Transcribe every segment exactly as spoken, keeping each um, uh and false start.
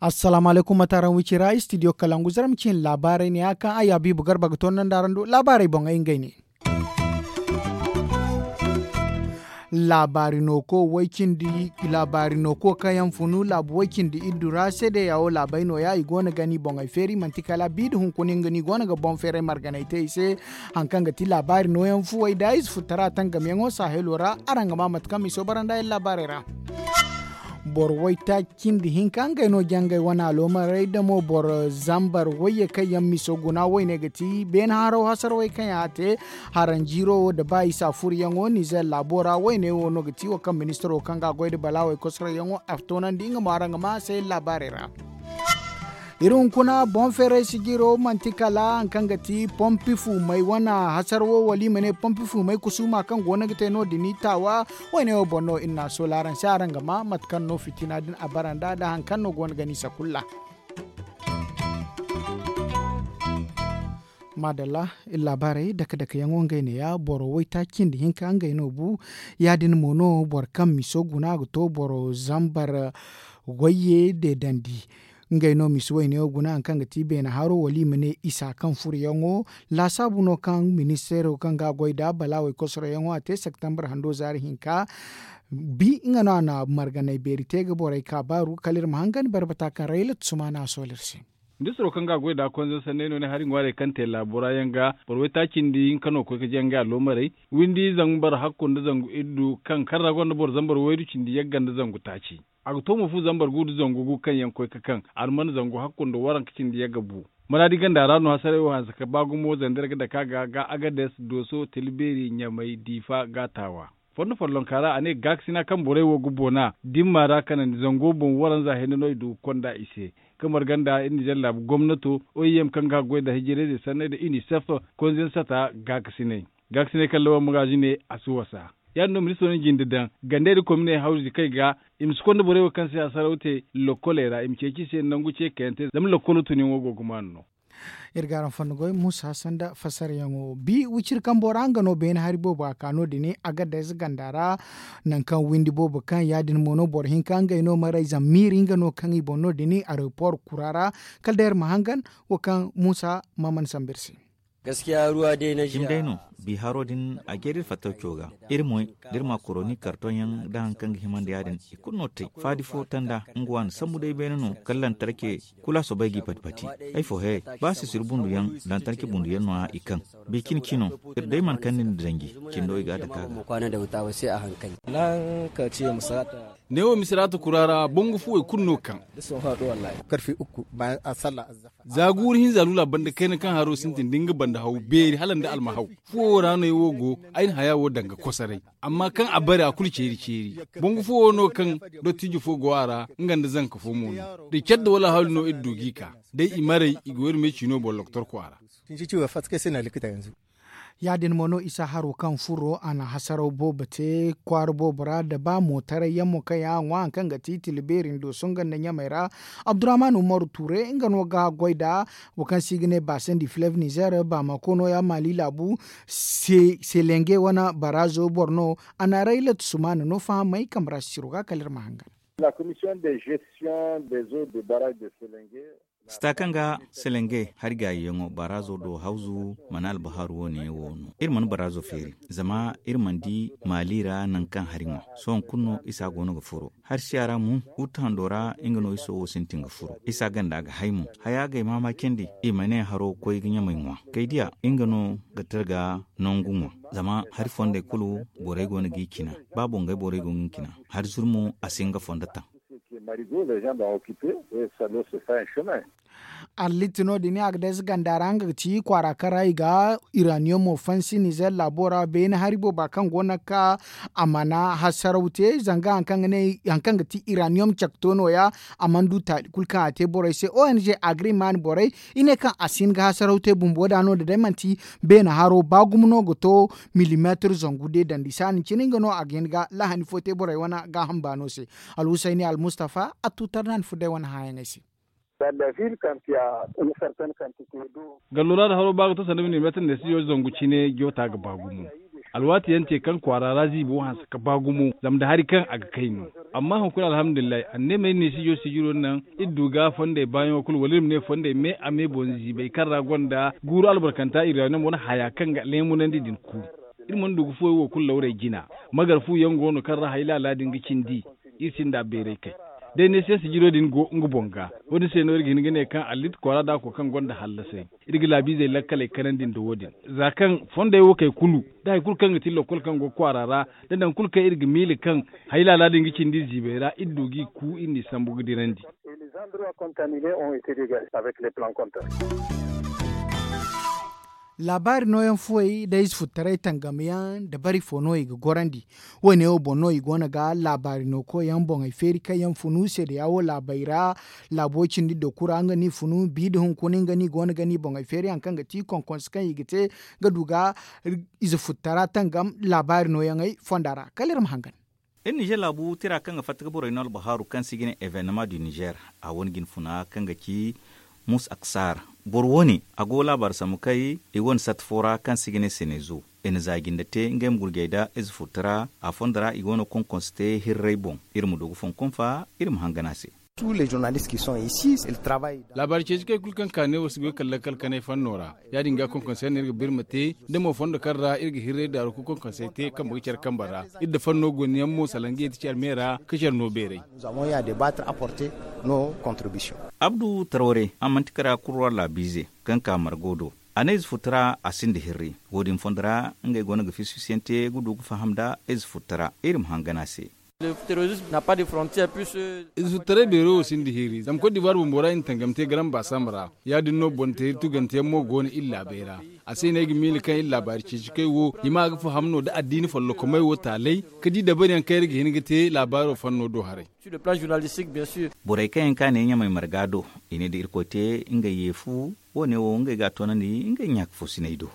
Assalaamu alaykum, mate araŋ wicira istidiyo kalangu zarma ciine laabaarey ne ya kaŋ ay habiibu garba ga toonandi araŋ do laabaarey boŋ ay ngey ne. Laabaari nooko way cindi laabaari nooko kaŋ yaŋ funu laabu way cindi iddu ra seedeya wo laabey nooya i go no ga ni boŋey feeri manti kala bi nda hunkuna nga no i go no ga boŋ feeray marganey te i se. Hari kaŋ ga ti laabaari nooyaŋ fuwey nda ize futara tangamyaŋo sahelo ra araŋ ga ma mate kaŋ miso bara nda yaŋ laabaarey ra. Boro waytaaci cindi hinka ngey no jangay wane aloomarey da mo boro zambar wayye kaŋ yaŋ miso guna wayne ga ti beene haro hasarawey kaŋ yaŋ a te. Haranjiiro wo nda ba isa furyaŋo nizer laabo ra wayne wo no ga ti wo kaŋ ministiro kaŋ ga a goy nda balaawey kosoroyaŋo a toonandi nga mo araŋ ga ma a se laabaarey ra. Iri hunkuna boŋ feeray sijiro manti kala hari kaŋ ga ti pompi fumay wane hasar wo wala i ma ne pompi fumay kusuuma kaŋ go no ga te no- din i taawa. Wayne wo boŋ no iri n'a soola araŋ se araŋ ga ma mate kaŋ no fitina din a bara nd'a nda hari kaŋ no go no ga ni sakulla. Maadalla, iri laabaarey dake dake yaŋo ngey neeya boro waytaaci cindi hinka ngey no bu. Ya- din mo no boro kaŋ miso guna ga to boro zambar wayye deedandi. Ngey no misi wayne wo guna hari kaŋ ga ti beene haro wala i ma ne isa kaŋ furuyaŋo. Laasaabu no kaŋ ministeero kaŋ ga a goy nd'a balaawey kosoroyaŋo a te septembre hando zaari hinka. Bi nga no a na marganay beeri te ga borey kaabaaru kala iri ma hangan barbata kaŋ raylat sumaana a sool'iri se. Ministiro kaŋ ga a goy nd'a konzey sanney no ne hari ŋwaarey kaŋ te laabo ra yaŋ ga boro waytaaci cindi hinka no koy ga jaŋ ngey aloomarey. Windi zangu bara hakku nda zangu iddu kaŋ karra gonda boro zambar waydu cindi yagga nda zangu taaci. A ga to mo fu zambar gu nda zangu gu kaŋ yaŋ koy ga kaŋ alman zangu hakku nda waranka cindi yagga bu. Maraadi ganda ra no hasaray wo hanse ka ba gumo zandar ga dake a ga ga agades dooso tilbeeri ɲamay diifa ga taawa. Fondo follonka ra a ne gaakasina kaŋ borey wo ga boona dimma ra kanandi zango boŋ waranza hinne no i du ga konda i se. Kamar ganda iri nizer laabu gomnato, oem kaŋ ga a goy nda hijirayzey sanney nda unicef konzeŋ sata gaakasiney. Gaakasiney kaŋ lawan magaazi ne a si wasa. Ya- din no ministiro na jinde daŋ gandey nda kominey hawzi kay ga i ma si konda borey wo kaŋ si hasaraw te lokkoley ra i ma ceeci i se nangu ce kayante zama lokkolo tunyaŋo go ga maanu no. Iri ga araŋ fonda goy muusa sanda fassarayaŋo bi wiciri kambo ra nga no beene hari boobo a ka no- din agades ganda ra. Nangu kaŋ windi boobo kaŋ ya- din mo no boro hinka ngey no maray zammiiri nga no kaŋ i boŋ no- din aeropor kura ra. Kala day iri ma hangan wo kaŋ muusa ma mana sambu iri se. Cimi day no. Bi haro din a jeeri iri fattawco ga. Iri moy da iri ma koroni kartoŋ yaŋ da hari kaŋ ga himandi ya- din i kulu no te faadi fo tanda nga wa na sambu day beene no kala lantarke. Kulu a soobay g'i pati pati. Ay fo he ba sisiri bunduyaŋ lantarke bunduyaŋ no- ya i kaŋ. Bi cine cino iri day mana kande nda danji cindo i ga a dake a ga. Neewo misiraata kura ra bangu fuwey kulu no kaŋ. Za guuru hinza lula banda kayna kaŋ haro sintin da nga banda haw beeri hala nda almahaw. Fuwo ra no ay wo go ay na haya wo danga kosoray. Amma kaŋ a bare a kulu ceeri ceeri. Bangu fuwo no kaŋ dottijo fo go a ra nga nda zanka fo mo no. Da care da wala hawli no iri du g'i ka day i maray i ga wayru me ciino boŋ lokotor kwaara. Ya- din mo no isa haro kaŋ furo a na hasaraw boobo te kwaara boobo ra da ba mootaray yaŋ mo kaŋ yaŋ a ŋwa hari kaŋ ga ti tilbeeri nda sunga nda ɲamey ra. Abdurrahman umaru ture nga no ga goy nda wo kaŋ se i ga ne baasandi filev nizer baamako no- ya maali laabu. Selenge wane baraazo boro no. A na raylat sumaana no fahamay kambe ra sisiro ga kala iri ma hangan. Sita kaŋ ga selenge hari gaayiyaŋo baraazo do hawzu mana albahaaru wo- ne wo no iri mana baraazo feeri. Zama iri mana di maali ra nangu kaŋ hari ŋwa. Sohõ kulu no isa go no ga furo. Hari siya ra mo wutta hando ra nga no iso wo sintin ga furo isa ganda ga hay mo. Haya g'ay maamaacandi i ma ne haro koy ga ɲamey ŋwa kay diya nga no ga targa nangu ŋwa. Zama hari fondey kulu borey go no g'i cina. Ba bongey borey go ga cina hari zuru mo a si nga fondo taŋ. Allitti no- din a ga day si ganda ra nga ga ci kwaara kaŋ ra i ga iraniyomo fansi nizer laabo ra beene hari booba kaŋ go no ga ka a mana hasaraw te zanga hari kaŋ ga ti iraniyomo cakto no- ya. A mana du taali kulu kaŋ a te borey se ong agriman borey i ne kaŋ a si hin ga hasaraw te bumbo da no- din day manti beene haro ba gumo no ga to. Milimeetir zangu de dandi saani cine nga no a ga hin ga lahani fo te borey wane gaaham baano se. Alhusayni almustafa a tuutar no a na furo day wane hããyaŋey se. Gallo ra da haro ba ga to sanda milimeetar neesijo zangu cine joota ga ba gumo. Alwaati yaŋ te kaŋ kwaara ra ziibo hanse ka ba gumo zama nda hari kaŋ a ga kay no. Amma hunkuna alhamdulillahi anneemey neesijo sijiro naŋ iri du ga fondey baayaŋo kulu wala iri ma ne fondey me a me boŋ ziibay kaŋ ra gonda guuru albarkanta iri ra naŋ wane haya kaŋ ga leemunandi din ku. Iri mana du ga fuwey wo kulu lawrey jina. Magar fu yaŋ go no kaŋ ra hay laala din ga cindi. Iri sinda beeray kay day neesiyaŋ sijiro din go nga boŋ ga. Wo- din se no iri ga hin ga ne kaŋ allit kwaara da a ko kaŋ gonda hallasay. Iri ga laabiizey lakkaley kanandi nda wo- din za kaŋ fondey wo kay kulu da hari kulu kaŋ ga ti lokkol kaŋ go kwaara ra da nangu kulu kaŋ iri ga miila kaŋ hay laala din ga cindi ziibey ra iri du g'i ku iri n'i sambu ga dirandi. Laabaari nooyaŋ fuwey da ize futtaray tangamyaŋ da bari fo no i ga gorandi. Wo- ne wo boŋ no i go no ga laabaari no koyyaŋ boŋey feeri kaŋ yaŋ funu seedeya wo laabey ra. Laabo cindi dokura nga no i funu bi nda hunkuna nga no i go no ga no i boŋey feeri hari kaŋ ga ti konkonse kaŋ i ga te ga du ga ize futtara tangam laabaari nooyaŋey fonda ra kala iri ma hangan. Iri nizer laabu tira kaŋ ga fatta ga borey no albahaaru kaŋ se i ga ne evenema du nizer a wane jinfuna kaŋ ga ci mus aksar. Boro wo- ne a go laabaari sambu kay i wane sat fo ra kaŋ se i ga ne senezo. I na za jinde te ngey ma gurjay nda ize furta ra a fondo ra i go no konkonse te hirray boŋ. Iri ma du ga fonkonfa iri ma hangan a se. Laabaari ceeci kay kulu kaŋ ka ne wo si goy kala lakkal kanay fanno ra. Ya- din ga konkonse yaŋ no iri ga birma te da mo fondo kaŋ ra iri ga hirray daaru ga konkonse te kambe ga care kambe ra. Iri nda fanno goniyaŋ mo salaŋ ga yeeti care me ra ka care no beeray. Abdu tarware a manti kara kurwa laabiize kaŋ ka margo do. A ne ize futu ra a sinda hirri. Wo- din fondo ra ngey go no ga fisi fisiyaŋ te ga du ga faham nda ize futu ra iri ma hangan a se. Ize futu taray beero wo sinda hirri zama kot divuwar bumbo ra i na tangam te garam baasam ra. Ya- din no boŋ teeri tuganteyaŋ mo go no iri laabey ra. A se no ay ga miila kaŋ iri laabaari ceeci kay wo i ma ga faham no nda addiina follokomey wo taalay ka di dabariyaŋ kaŋ iri ga hin ga te laabaaro fanno do haray. Borey kaŋ yaŋ ka ne ɲamay marga do i ne da irkoy te ngey ye fu. Wo- ne wo ngey ga a toonandi ngey ɲaaka fo sinay do.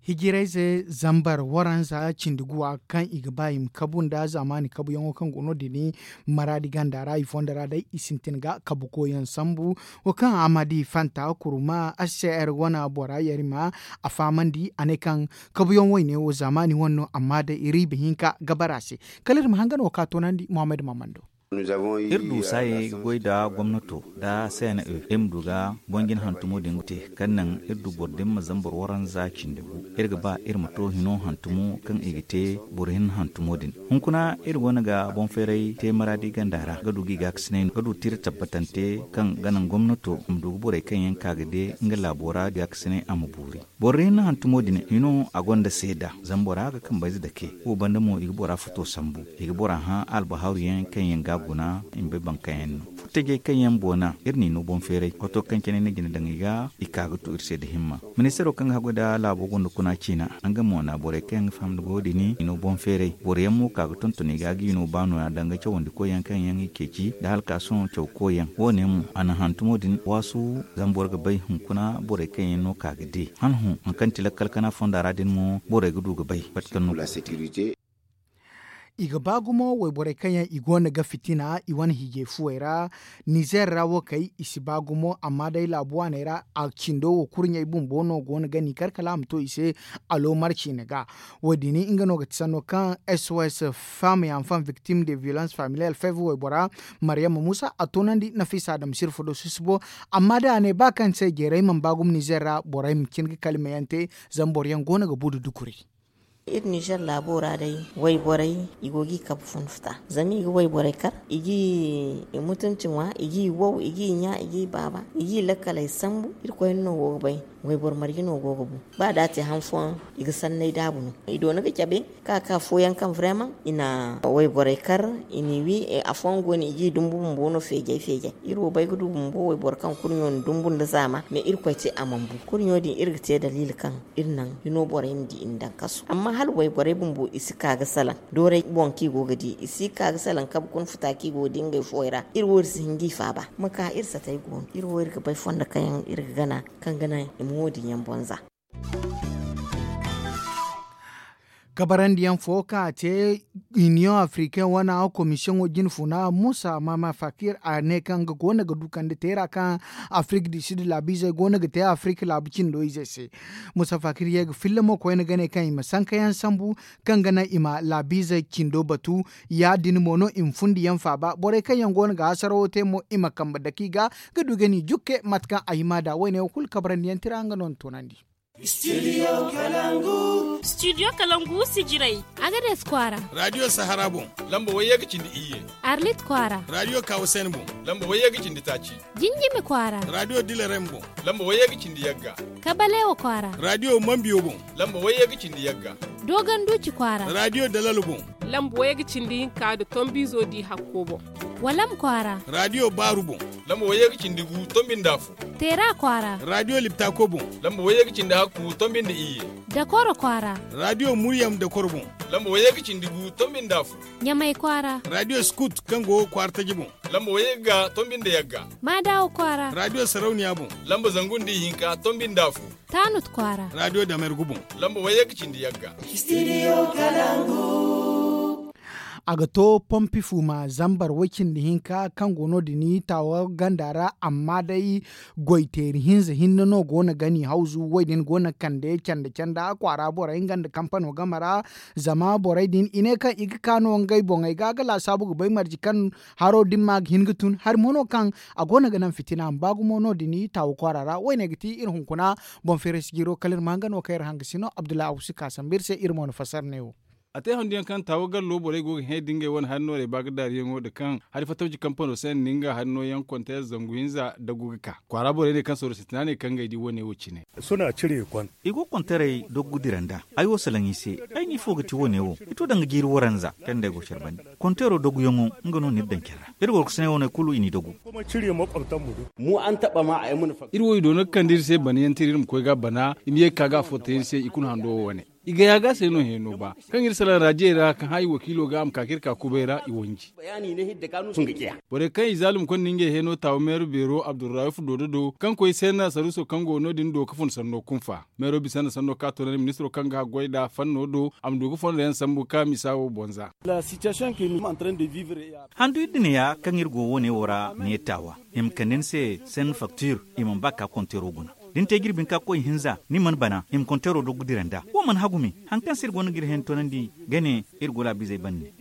Hijirayze zambar waranza cindi guwa kaŋ i ga ba i ma kabu nda zaamaani kabuyaŋo kaŋ go no- din maraadi ganda ra i fondo ra day i sintin ga kabukoyaŋ sambu. Wo kaŋ a ma di fanta kuruma h c r wane bora yarima a fahamandi a ne kaŋ kabuyaŋ wayne wo zaamaani wane no amma day riiba hinka ga bara a se. Kala iri ma hangan wo ka toonandi muhammad maamando. Iri du saayey ga goy nda gomnato nda cne iri ma du ga boŋ jine hantumo din ga te kaŋ naŋ iri du boro din ma zambar waranza cindi gu. Iri ga ba iri ma to hino hantumo kaŋ i ga te boro hinne hantumo din. Hunkuna iri go no ga boŋ feeray te maraadi ganda ra ga du ga i gaakasinay no ga du tira tabbatante kaŋ ga naŋ gomnato ma du ga borey kaŋ yaŋ ka ga de nga laabo ra gaakasinay a ma boori. Boro ra hinne hantumo din hino a gonda seeda zama bora ga kambayze dake wo banda mo i ga bora futo sambu. I ga bora hã albahaaru yaŋ kaŋ yaŋ ga guna i ma bay baŋ kaŋ yaŋ no. Furtajey kaŋ yaŋ boona iri n'i no boŋ feeray wato kaŋ cine ni jina daŋ i ga i ka ga tu iri se da himma. Ministeero kaŋ ga haggoy nda laabo gonda kuna ciina nga mo na borey kaŋ yaŋ ga faham nda goyo din i no boŋ feeray boro yaŋ mo ka ga tonton i ga ga i no ba nooya danga cawandi koyyaŋ kaŋ yaŋ i ceeci nda hala ka sohõ caw koyyaŋ wo- ne mo a na hantumo din waasu. Zama boro ga bay hunkuna borey kaŋ yaŋ no ka ga de han hõ hari kaŋ ti lakkal kana fonda ra din mo borey ga du ga bay mate kaŋ no. I ga ba gumo wayborey kaŋ yaŋ i go no ga fitina i wane hiijay fuwey ra. Nizer ra wo kay i si ba gumo amma day laabu waaney ra a cindo wo kurɲey bumbo no go no ga ni kar kala a ma to i se. Alo marci ni ga wo- din nga no ga ti sanno kaŋ sos femme et enfant victime de violence familiale fev waybora maryama musa a toonandi nafisa adama sirfo do sisibo. Amma day a ne ba kaŋ se jeeray mana ba gumo nizer ra borey ma cin ga kalimayaŋ te zama boro yaŋ go no ga bu da dukuri. Iri nizer laabo ra day wayborey i go ga i kabe funfuta zama i ga wayborey kar i ga i mutunci ŋwa i ga i wow i ga i ɲa i ga i baaba i ga i lakkaley sambu irkoy no go ga bay. Wayboro marje no go ga bu ba da a te han fooyaŋ i ga sanney daabu no i doona ga cabe ka ka fooyaŋ kaŋ vraiment i na wayborey kar i n'i wi. Afooyaŋ go no i ga i dumbu bumbo no feejay feejay iri wo bay ga du bumbo wayboro kaŋ kurɲo na dumbu nda zaama mais irkoy te a mana bu kurɲo din iri ga te daliila kaŋ iri naŋ hino borey ma di i na daŋ kasu amma hala wayborey bumbo i si ka ga salaŋ dooray boŋ kaŋ i go ga di i si ka ga salaŋ kabe kuna futa kaŋ i go ga di ngey fooyaŋ ra iri wo iri si hin ga i faaba ma ka iri satey go no iri wo iri ga bay fondo kaŋ yaŋ iri ga gana kaŋ ga naŋ i ma wo- din yaŋ boŋ za. Kabarandiyaŋ fo kaŋ a te, iniyoŋ afrikain wane komisiyoŋo jine funa musa mama fakir a ne kaŋ nga go no ga du kande teera kaŋ afrik du sid laabiizey go no ga te afrik laabu cindo izey se. Musa fakir ye ga filla mo koyne ga ne kaŋ i ma sankayaŋ sambu kaŋ ga naŋ i ma laabiizey cindo batu. Ya- din mo no i ma fundiyaŋ faaba borey kaŋ yaŋ go no ga hasarawo te mo i ma kambe dake i ga ga du ga ni jukke mate kaŋ a hima nd'a woyne wo kulu kabarandiyaŋ tira nga no ni toonandi. Studio kalangu sijirey. Agades kwaara. Radio sahara boŋ. Lamba wayye ga cindi iyye. Arlit kwaara. Radio kawasen boŋ. Lamba wayye ga cindi taaci. Jinjimi kwaara. Radio dilarem boŋ. Lamba wayye ga cindi yagga. Kabalewa kwaara. Radio mambiyo boŋ. Lamba wayye ga cindi yagga. Dogon duci kwaara. Radio dalalo boŋ. Lamba wayye ga cindi hinka nda tombizo di hakko boŋ. Walam kwaara. Radio baaru boŋ. Lamba wayye ga cindi gu tombi nda afo. Teera kwaara. Radio liptako boŋ. Lamba wayye ga cindi hakku tombi nda iyye. Dakoro kwaara. Radio muryam dakoro boŋ. Lamba wayye ga cindi gu tombi nda afo. Ɲamay kwaara. Radio skut kaŋ go kwaara taji boŋ. Lamba wayye ga tombi nda yagga. Maadawo kwaara. Radio sarauniya boŋ. Lamba zangu nda ihinka tombi nda afo. Taanut kwaara. Radio damergu boŋ. Lamba wayye ga cindi yagga. A ga to pompi fuma zambar way cindi hinka kaŋ go no- din taawa ganda ra amma day goyteeri hinza hinne no go no ga ni hawzu wo- din go no ga kande canda canda kwaara borey nga nda kampano game ra. Zama borey din i ne kaŋ i ga ka no ngey boŋey ga ga laasaabu ga bay marje kaŋ haro din ma ga hin ga tun hari mo no kaŋ a go no ga naŋ fitina ma ba gumo no- din taawa kwaara ra wo- ne ga ti iri hunkuna. Boŋ feeray si jiiro kala iri ma nga no kaŋ iri hanga si no abdullahi abu si ka sambu iri se iri mo na fassara ne wo. A te handu yaŋ kaŋ taawa gallo borey go ga hẽ da ngey wane hari noorey ba ga daariyaŋo nda kaŋ hari fattawci kampano se nda nga hari nooyaŋ konteer zangu hinza dagu ga ka kwaara borey ne kaŋ soro sintina ne kaŋ ngey di wane wo cine. I go ga konteerey doggu dira nd'a. Ay wo salaŋ i se. Ay ne ifo ga ti wane wo? I to danga jiiri waranza kaŋ day go care bande. Konteero dogguyaŋo nga no n'iri daŋ care ra. Iri gorkosaney wane kulu i n'i doggu. Iri wo i doona ga kande iri se banayaŋ tira iri ma koy ga a bana i ma ye ga ka ga a forta iri se i kulu hando wo wane. I ga ya ga se no heeno ba kaŋ iri salaŋ raajiyey ra kaŋ hã i wakiilo ga a ma ka ka iri ka kubay ra i wanji. Borey kaŋ i zaalum konda ngey heeno taawa meero beero abdurrahuf doodo do kaŋ koy seenna saruuso kaŋ go no- din do ga fun sanno kunfa. Meero bisa nda sanno ka toonandi ministiro kaŋ ga goy nd'a fanno do a ma du ga fondo yaŋ sambu ka misa wo boŋ za. Handu iri din ya kaŋ iri go wo- ne wo ra ne taawa i ma kande ni se seen faktiir. I mana ba ka konteero guna da ni te jirbi hinka koy hinza ni mana bana i ma konteero doggu dira nd'a wo mana hagu me. Hari kaŋ se iri go no ga iri hẽ ni toonandi ga ne iri go laabiizey bande.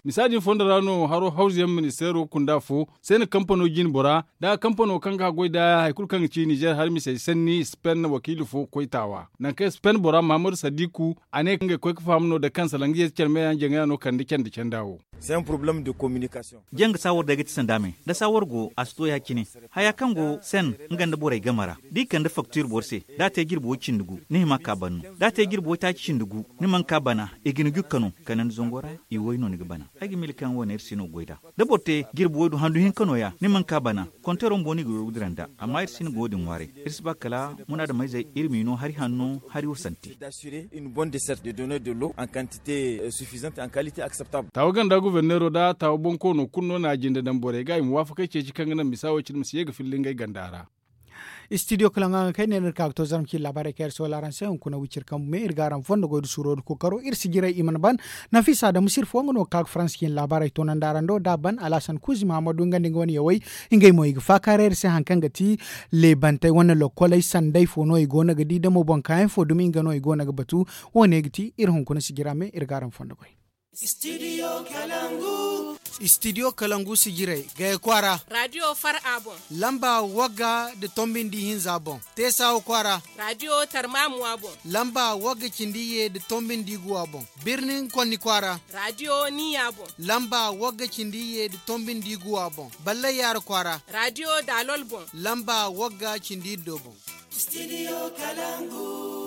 Misa din fondo ra no haro hawzuyaŋ ministeero kunda fo seena kampano jine bora da kampano kaŋ ga goy da hari kulu kaŋ ga ci nizer hari misey sanni spen wakiili fo koy taawa nangu kaŋ spen bora mahamadu sadiku. A ne kaŋ ga koy ga faham no da kaŋ salaŋ ga ye se care meeyaŋ jaŋaya no kande canda canda wo. Janga saawar day ga ti sanda me da saawar go a si to ya- cine. Haya kaŋ go sen nga nda borey game ra da i kande faktiir boro se da a te jirbi way cindi gu ni hima ka ban no da a te jirbi waytaaci cindi gu ni mana ka bana. I ga ni jukka no kala ni zango ra i way no ni ga bana. Ay ga miila kaŋ wo- ne iri si no ga goy nd'a da boro te jirbi waydu handu hinka no- ya ni mana ka bana. Konteero bumbo no i ga goy ga dira nd'a. Amma iri si no ga wo- din ŋwaaray. Iri si ba kala munaadameyzey iri m'i no hari hanno hari wo sante. Taawa ganda guberneero nda taawa bonkoono kulu no na a jinde daŋ borey ga i ma waafakey ceeci kaŋ ga naŋ misa wo- cine ma si ye ga filla ngey ganda ra. Istidiyo kala ŋwa ga kay ne no iri ka ga to zarma ciine laabaarey kaŋ iri si wala araŋ se hunkuna wiciri kambu me iri ga araŋ fondo goy nda suuro nda kookaro iri si jiray i mana ban. Nafiisa adamu sirfo nga no ga ka ga faransa ciine laabaarey toonandi araŋ do da a ban alhasan kuuzi mahamadu nga nda nga wane yawey. Ngey mo i ga faakaaray iri se hari kaŋ ga ti leebantey wane lokkoley sanday fo no i go no ga di da mo boŋ kaayaŋ fo dumi nga no i go no ga batu. Wo- ne ga ti iri hunkuna sijira me iri ga araŋ fondo goy. Istidiyo kalangu sijirey gaya kwaara. Radiyo far a boŋ. Lamba wagga nda tombi nda ihinza boŋ. Teesawa kwaara. Radiyo tarmamuwa boŋ. Lamba wagga cindi iyye nda tombi nda iguwa boŋ. Birnin konni kwaara. Radiyo niya boŋ. Lamba wagga cindi iyye nda tombi nda iguwa boŋ. Ballay yaara kwaara. Radiyo daalol boŋ. Lamba wagga cindi iddo boŋ. Istidiyo kalangu.